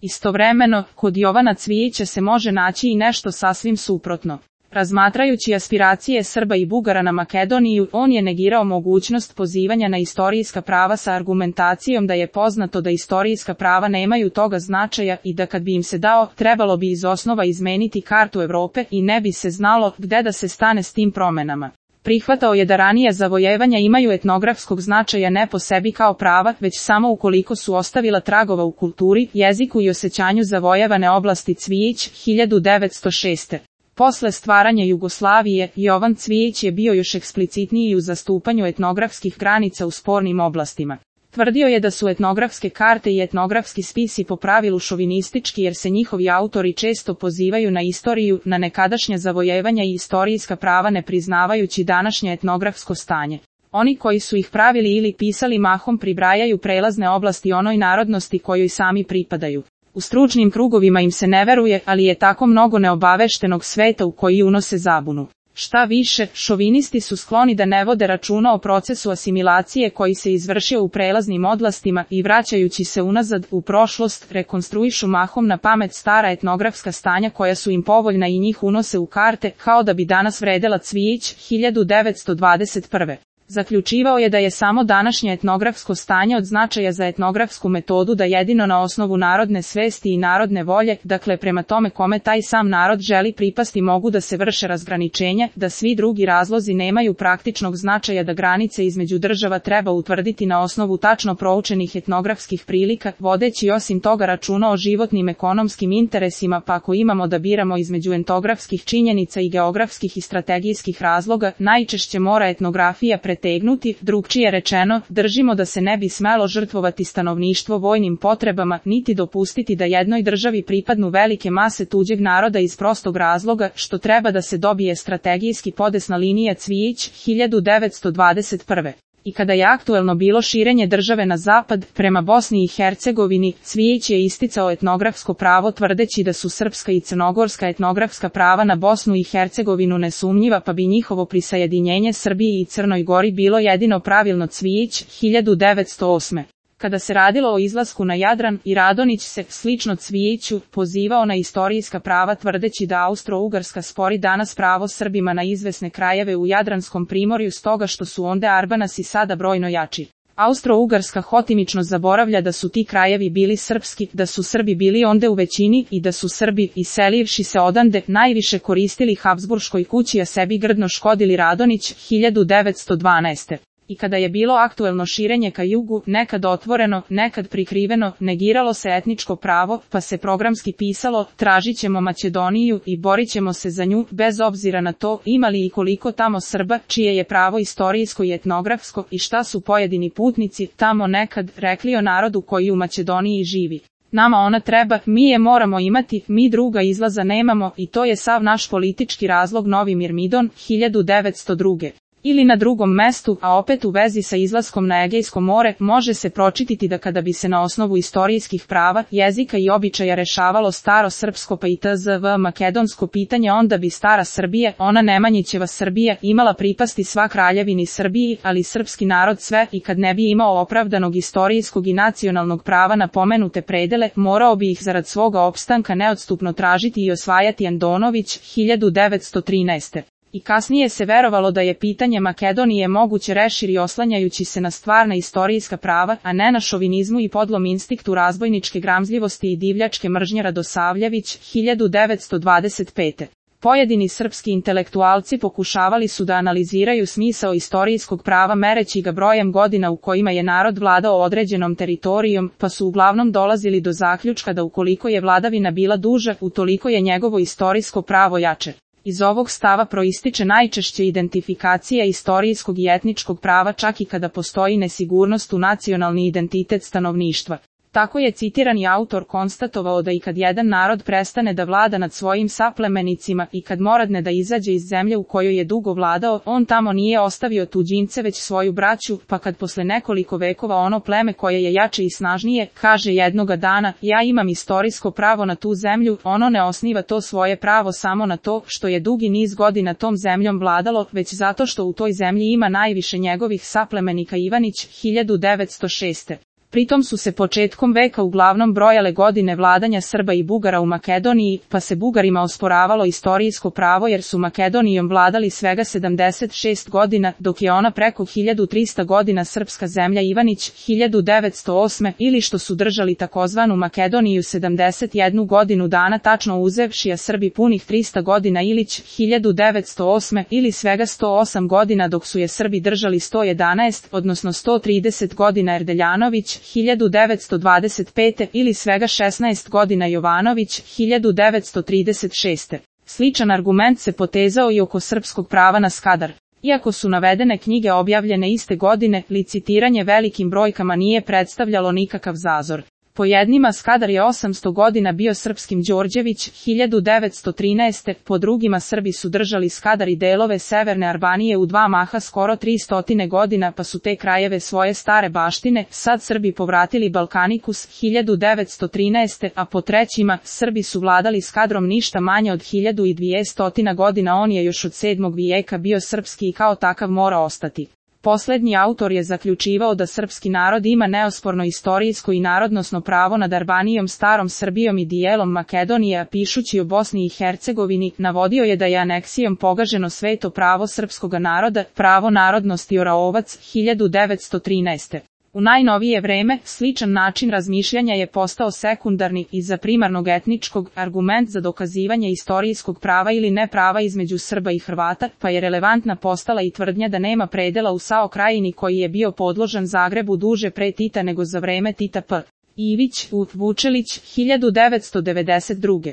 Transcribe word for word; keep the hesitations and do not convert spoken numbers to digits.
Istovremeno, kod Jovana Cvijića se može naći i nešto sasvim suprotno. Razmatrajući aspiracije Srba i Bugara na Makedoniju, on je negirao mogućnost pozivanja na istorijska prava sa argumentacijom da je poznato da istorijska prava nemaju toga značaja i da kad bi im se dao, trebalo bi iz osnova izmeniti kartu Evrope i ne bi se znalo gde da se stane s tim promenama. Prihvatao je da ranija zavojevanja imaju etnografskog značaja ne po sebi kao prava, već samo ukoliko su ostavila tragova u kulturi, jeziku i osjećanju zavojevane oblasti. Cvijić, hiljadu devetsto šeste. Posle stvaranja Jugoslavije, Jovan Cvijić je bio još eksplicitniji u zastupanju etnografskih granica u spornim oblastima. Tvrdio je da su etnografske karte i etnografski spisi po pravilu šovinistički jer se njihovi autori često pozivaju na istoriju, na nekadašnja zavojevanja i istorijska prava ne priznavajući današnje etnografsko stanje. Oni koji su ih pravili ili pisali mahom pribrajaju prelazne oblasti onoj narodnosti kojoj sami pripadaju. U stručnim krugovima im se ne veruje, ali je tako mnogo neobaveštenog sveta u koji unose zabunu. Šta više, šovinisti su skloni da ne vode računa o procesu asimilacije koji se izvršio u prelaznim oblastima i vraćajući se unazad u prošlost, rekonstruišu mahom na pamet stara etnografska stanja koja su im povoljna i njih unose u karte, kao da bi danas vredela. Cvijić, hiljadu devetsto dvadeset prve. Zaključivao je da je samo današnje etnografsko stanje od značaja za etnografsku metodu da jedino na osnovu narodne svesti i narodne volje, dakle prema tome kome taj sam narod želi pripasti mogu da se vrše razgraničenja, da svi drugi razlozi nemaju praktičnog značaja, da granice između država treba utvrditi na osnovu tačno proučenih etnografskih prilika, vodeći osim toga računa o životnim ekonomskim interesima, pa ako imamo da biramo između etnografskih činjenica i geografskih i strategijskih razloga, najčešće mora etnografija pretegnuti. Drugčije rečeno, držimo da se ne bi smelo žrtvovati stanovništvo vojnim potrebama, niti dopustiti da jednoj državi pripadnu velike mase tuđeg naroda iz prostog razloga, što treba da se dobije strategijski podesna linija. Cvijić, hiljadu devetsto dvadeset prve. I kada je aktuelno bilo širenje države na zapad, prema Bosni i Hercegovini, Cvijić je isticao etnografsko pravo tvrdeći da su srpska i crnogorska etnografska prava na Bosnu i Hercegovinu nesumnjiva, pa bi njihovo prisajedinjenje Srbiji i Crnoj Gori bilo jedino pravilno. Cvijić, hiljadu devetsto osme. Kada se radilo o izlasku na Jadran, i Radonjić se, slično Cvijiću, pozivao na istorijska prava tvrdeći da Austro-Ugarska spori danas pravo Srbima na izvesne krajeve u Jadranskom primorju stoga što su onde Arbanasi sada brojno jači. Austro-Ugarska hotimično zaboravlja da su ti krajevi bili srpski, da su Srbi bili onde u većini i da su Srbi, iselivši se odande, najviše koristili Habsburškoj kući a sebi grdno škodili. Radonjić, hiljadu devetsto dvanaeste. I kada je bilo aktuelno širenje ka jugu, nekad otvoreno, nekad prikriveno, negiralo se etničko pravo, pa se programski pisalo, tražit ćemo Makedoniju i borit ćemo se za nju, bez obzira na to, imali i koliko tamo Srba, čije je pravo istorijsko i etnografsko, i šta su pojedini putnici tamo nekad rekli o narodu koji u Makedoniji živi. Nama ona treba, mi je moramo imati, mi druga izlaza nemamo, i to je sav naš politički razlog. Novi Mirmidon, hiljadu devetsto druge. Ili na drugom mestu, a opet u vezi sa izlaskom na Egejsko more, može se pročitati da kada bi se na osnovu istorijskih prava, jezika i običaja rešavalo staro srpsko pa i tzv. Makedonsko pitanje, onda bi stara Srbija, ona Nemanjićeva Srbija, imala pripasti sva kraljevini Srbiji, ali srpski narod sve, i kad ne bi imao opravdanog istorijskog i nacionalnog prava na pomenute predele, morao bi ih zarad svoga opstanka neodstupno tražiti i osvajati. Andonović, hiljadu devetsto trinaeste. I kasnije se verovalo da je pitanje Makedonije moguće rešiti oslanjajući se na stvarna istorijska prava, a ne na šovinizmu i podlom instinktu razbojničke gramzljivosti i divljačke mržnje. Radosavljević, hiljadu devetsto dvadeset pete. Pojedini srpski intelektualci pokušavali su da analiziraju smisao istorijskog prava mereći ga brojem godina u kojima je narod vladao određenom teritorijom, pa su uglavnom dolazili do zaključka da ukoliko je vladavina bila duža, utoliko je njegovo istorijsko pravo jače. Iz ovog stava proističe najčešće identifikacija istorijskog i etničkog prava čak i kada postoji nesigurnost u nacionalni identitet stanovništva. Tako je citirani autor konstatovao da i kad jedan narod prestane da vlada nad svojim saplemenicima i kad moradne da izađe iz zemlje u kojoj je dugo vladao, on tamo nije ostavio tuđince već svoju braću, pa kad posle nekoliko vekova ono pleme koje je jače i snažnije, kaže jednoga dana, ja imam istorijsko pravo na tu zemlju, ono ne osniva to svoje pravo samo na to što je dugi niz godina tom zemljom vladalo, već zato što u toj zemlji ima najviše njegovih saplemenika. Ivanić, hiljadu devetsto šeste. Pritom su se početkom veka uglavnom brojale godine vladanja Srba i Bugara u Makedoniji, pa se Bugarima osporavalo istorijsko pravo jer su Makedonijom vladali svega sedamdeset šest godina, dok je ona preko hiljadu trista godina srpska zemlja Ivanić, hiljadu devetsto osme, ili što su držali takozvanu Makedoniju sedamdeset jednu godinu dana tačno uzevši, a Srbi punih trista godina Ilić, hiljadu devetsto osme, ili svega sto osam godina dok su je Srbi držali sto jedanaest, odnosno sto trideset godina Erdeljanović, hiljadu devetsto dvadeset pete, ili svega šesnaest godina Jovanović, hiljadu devetsto trideset šeste. Sličan argument se potezao i oko srpskog prava na Skadar. Iako su navedene knjige objavljene iste godine, licitiranje velikim brojkama nije predstavljalo nikakav zazor. Po jednima Skadar je osamsto godina bio srpskim Đorđević, hiljadu devetsto trinaeste, po drugima Srbi su držali Skadar i delove severne Albanije u dva maha skoro tristo godina, pa su te krajeve svoje stare baštine sad Srbi povratili Balkanikus, hiljadu devetsto trinaeste, a po trećima Srbi su vladali Skadrom ništa manje od hiljadu dvesta godina. On je još od sedmog vijeka bio srpski i kao takav mora ostati. Poslednji autor je zaključivao da srpski narod ima neosporno istorijsko i narodnosno pravo nad Albanijom, starom Srbijom i dijelom Makedonije, a pišući o Bosni i Hercegovini, navodio je da je aneksijom pogaženo sveto pravo srpskoga naroda, pravo narodnosti Oraovac, hiljadu devetsto trinaeste. U najnovije vreme, sličan način razmišljanja je postao sekundarni i za primarnog etničkog argument za dokazivanje istorijskog prava ili neprava između Srba i Hrvata, pa je relevantna postala i tvrdnja da nema predela u Sao Krajini koji je bio podložan Zagrebu duže pre Tita nego za vreme Tita p. Ivić, U. Vučelić, hiljadu devetsto devedeset druge.